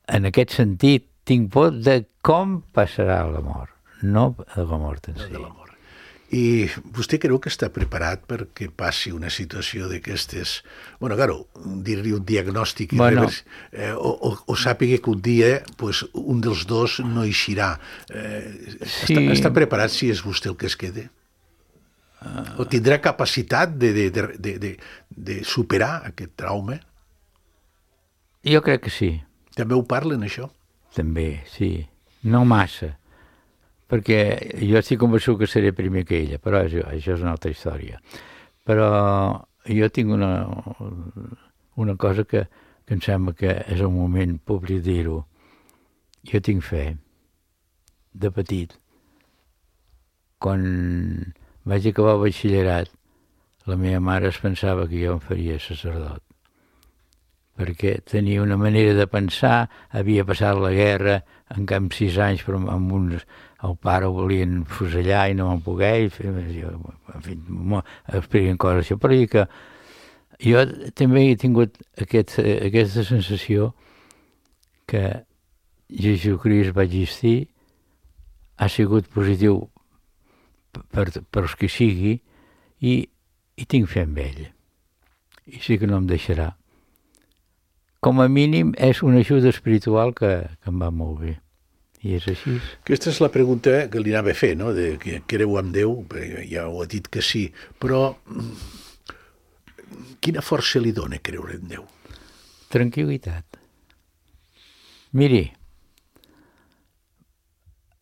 en aquest sentit tinc por de com passarà la mort, no de la mort en si. De la mort. I vostè creu que està preparat perquè passi una situació d'aquestes... Bueno, claro, dir-li un diagnòstic o sàpiga que un dia pues, un dels dos no eixirà. Sí. Està preparat si és vostè el que es quede? O tindrà capacitat de superar aquest trauma? Jo crec que sí. També ho parlen, això? També, sí. No massa. Perquè jo estic convençut que seré primer que ella, però això és una altra història. Però jo tinc una cosa que em sembla que és el moment públic dir-ho. Jo tinc fe, de petit. Quan vaig acabar el batxillerat, la meva mare es pensava que jo em faria sacerdot. Perquè tenia una manera de pensar, havia passat la guerra, en cap 6 anys, però amb uns... El pare ho volien fusellar i no van poder, en fi, expliquen coses així, però que jo també he tingut aquesta sensació que Jesucrist va existir, ha sigut positiu per els que sigui i tinc fe en ell. I sí que no em deixarà. Com a mínim és una ajuda espiritual que em va molt bé. I és així. Aquesta és la pregunta que li anava a fer, no? De que creu en Déu, ja ho ha dit que sí, però quina força li dona creure en Déu? Tranquil·litat. Miri,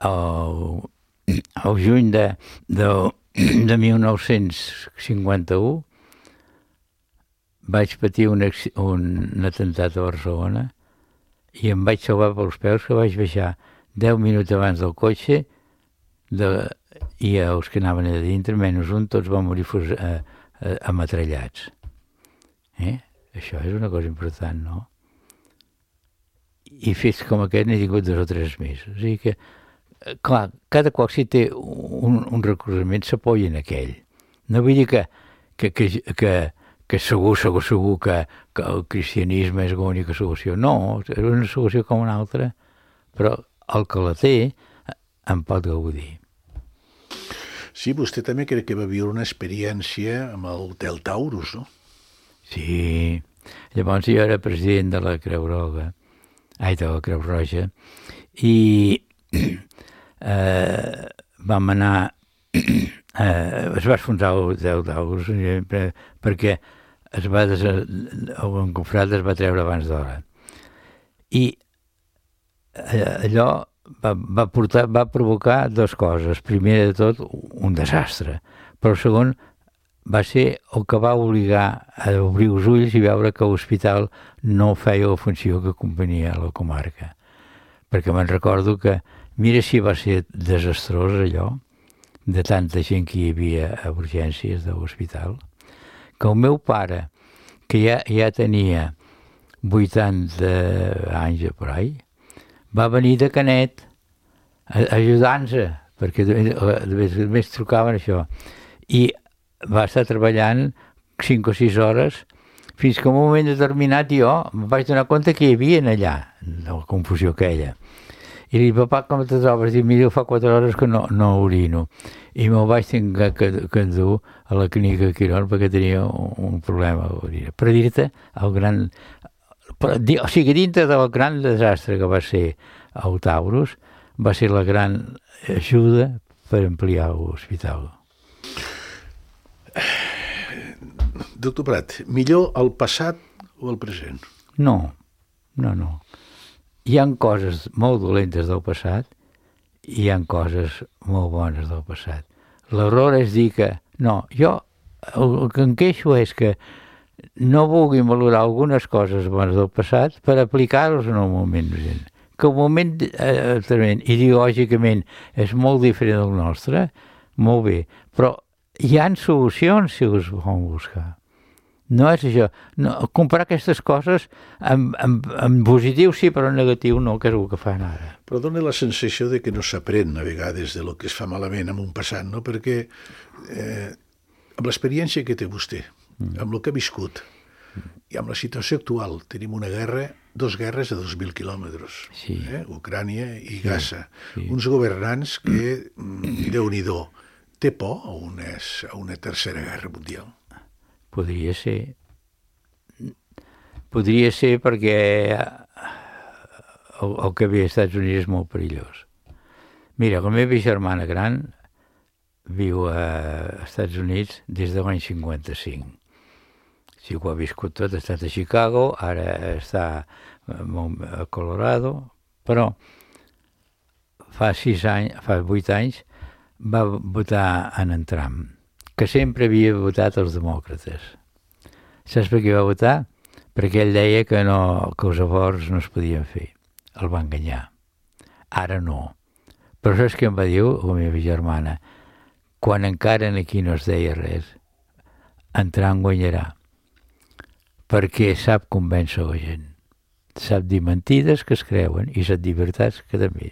el juny de 1951 vaig patir un atemptat a Barcelona i em vaig salvar pels peus que vaig baixar 10 minuts abans del cotxe i els que anaven a dintre, menys un, tots van morir ametrallats. Això és una cosa important, no? I fets com aquest n'he tingut 2 o 3 més. O sigui que, clar, cada qual si té un recolzament s'apoya en aquell. No vull dir que segur que el cristianisme és l'única solució. No, és una solució com una altra, però el que la té en pot gaudir. Sí, vostè també crec que va viure una experiència amb el Hotel Taurus, no? Sí. Llavors jo era president de la Creu Roja, de la Creu Roja, i vam anar... es va esfondrar el Hotel Taurus perquè el Confrat es va treure abans d'hora. I allò va provocar dues coses. Primer de tot, un desastre, però segon, va ser el que va obligar a obrir els ulls i veure que l'hospital no feia la funció que convenia a la comarca. Perquè me'n recordo que, mira si va ser desastrós allò, de tanta gent que hi havia a urgències de l'hospital, que el meu pare, que ja tenia 80 anys per ahí, va venir de Canet ajudant-se, perquè més trucaven això, i va estar treballant 5 o 6 hores fins que en un moment determinat jo em vaig donar compte que hi havia allà, la confusió aquella. I li dic, papà, com te trobes? Dic, mira, fa 4 hores que no orino. I me'l vaig tenir que endur a la clínica de Quirón perquè tenia un problema a l'orina. Per dir-te el gran... O sigui, dintre del gran desastre que va ser el Taurus, va ser la gran ajuda per ampliar l'hospital. Doctor Prat, millor el passat o el present? No. Hi ha coses molt dolentes del passat i hi ha coses molt bones del passat. L'error és dir que... No, jo el que em queixo és que no vulgui valorar algunes coses bones del passat per aplicar-los en el moment present. Que el moment ideològicament és molt diferent del nostre, molt bé, però hi ha solucions si us volen buscar. No és això. No, comparar aquestes coses en positiu sí, però en negatiu no, que és el que fan ara. Però dona la sensació de que no s'aprèn a vegades de lo que es fa malament en un passat, no? Perquè amb l'experiència que té vostè, amb el que ha viscut i amb la situació actual, tenim una guerra, 2 guerres a 2.000 quilòmetres, sí. Ucrània i Gaza. Sí. Uns governants que, Déu-n'hi-do, té por a una tercera guerra mundial? Podria ser. Podria ser perquè el que ve als Estats Units és molt perillós. Mira, la meva germana gran viu als Estats Units des de l'any 55. Sí, ho ha viscut tot, ha estat a Chicago, ara està a Colorado, però fa 8 anys va votar en Trump, que sempre havia votat els demòcrates. Saps per què va votar? Perquè ell deia que els avorts no es podien fer. El va enganyar. Ara no. Però saps què em va dir la meva germana? Quan encara aquí no es deia res, en Trump guanyarà. Perquè sap convèncer la gent. Sap dir mentides que es creuen i sap dir veritats que també.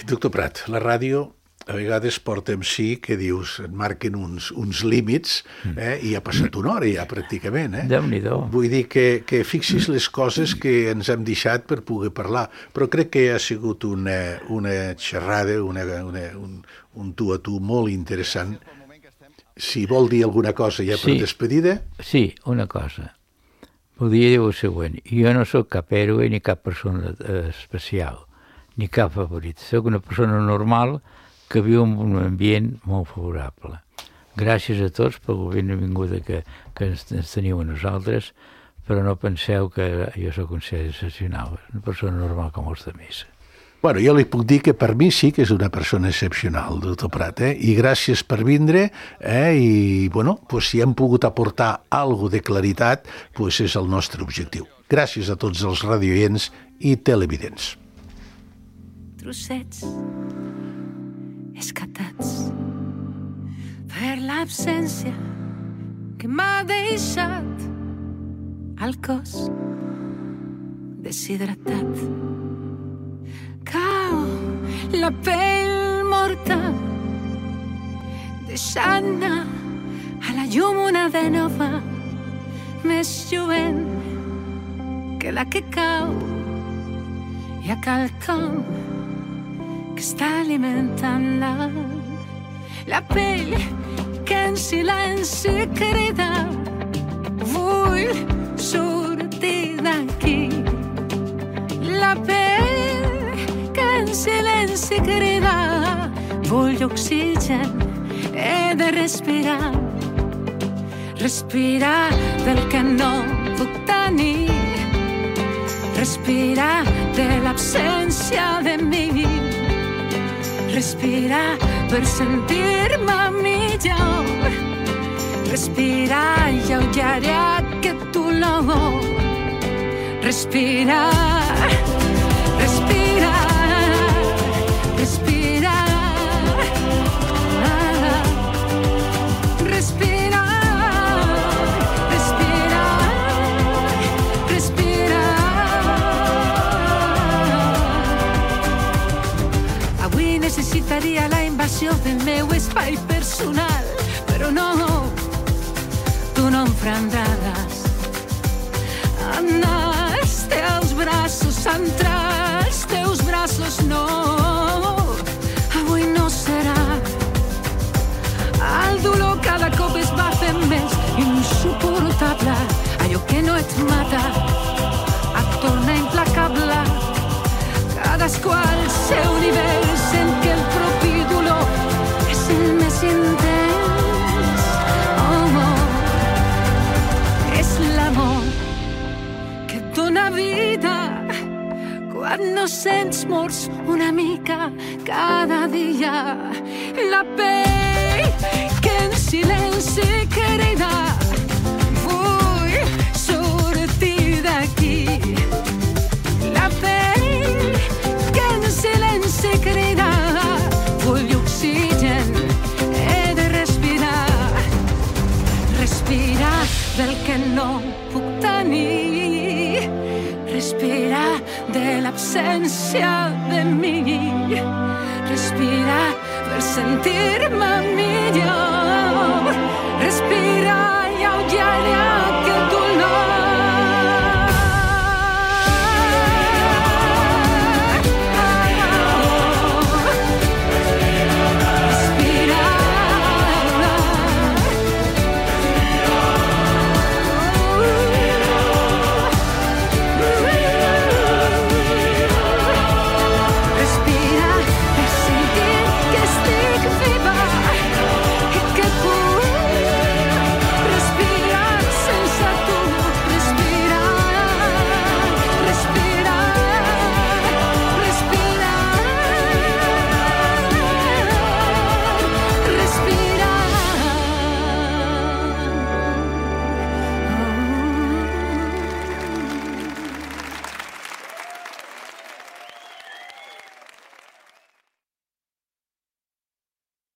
Doctor Prat, la ràdio a vegades porta amb si que dius, et marquen uns límits i ha passat una hora ja pràcticament. Déu-n'hi-do. Vull dir que fixis les coses que ens hem deixat per poder parlar, però crec que ha sigut una xerrada, un tu a tu molt interessant. Si vol dir alguna cosa ja per despedida... Sí, una cosa. Voldria dir el següent. Jo no sóc cap héroe ni cap persona especial, ni cap favorit. Sóc una persona normal que viu en un ambient molt favorable. Gràcies a tots per la benvinguda que ens teniu a nosaltres, però no penseu que jo sóc un ser excepcional, una persona normal com els altres. Bueno, jo li puc dir que per mi sí que és una persona excepcional, doctor Prat, i gràcies per vindre, i bueno, pues, si hem pogut aportar alguna de claritat, pues és el nostre objectiu. Gràcies a tots els radioients i televidents. Trossets escatats per l'absència que m'ha deixat el cos deshidratat. Cau la pell morta deixant a la llum una de nova més lluent que la que cau i a quelcom que està alimentant la pell que en silenci crida vull sortir d'aquí. La pell que en silenci crida vull oxigen, he de respirar Respirar del que no puc tenir, respirar de l'absència de mi, respirar per sentir-me millor, respirar i alleujarir aquest dolor, respirar, respirar, respirar, respirar. Necessitaria la invasió del meu espai personal, però no, tu no em prendràs. Anar als teus braços, entrar als teus braços, no, avui no serà. El dolor cada cop es va fent més insuportable, allò que no et mata et torna implacable. Cadascú al seu nivell sent que el propi dolor és el més intens. És l'amor que et dona vida quan no sents morts una mica cada dia. La pell que en silenci crida, vull sortir d'aquí. La pell que en silenci crida, vull oxigen, he de respirar, respirar del que no puc tenir, respirar de l'absència de mi, respirar per sentir-me millor, respirar i alleujarir aquest dolor.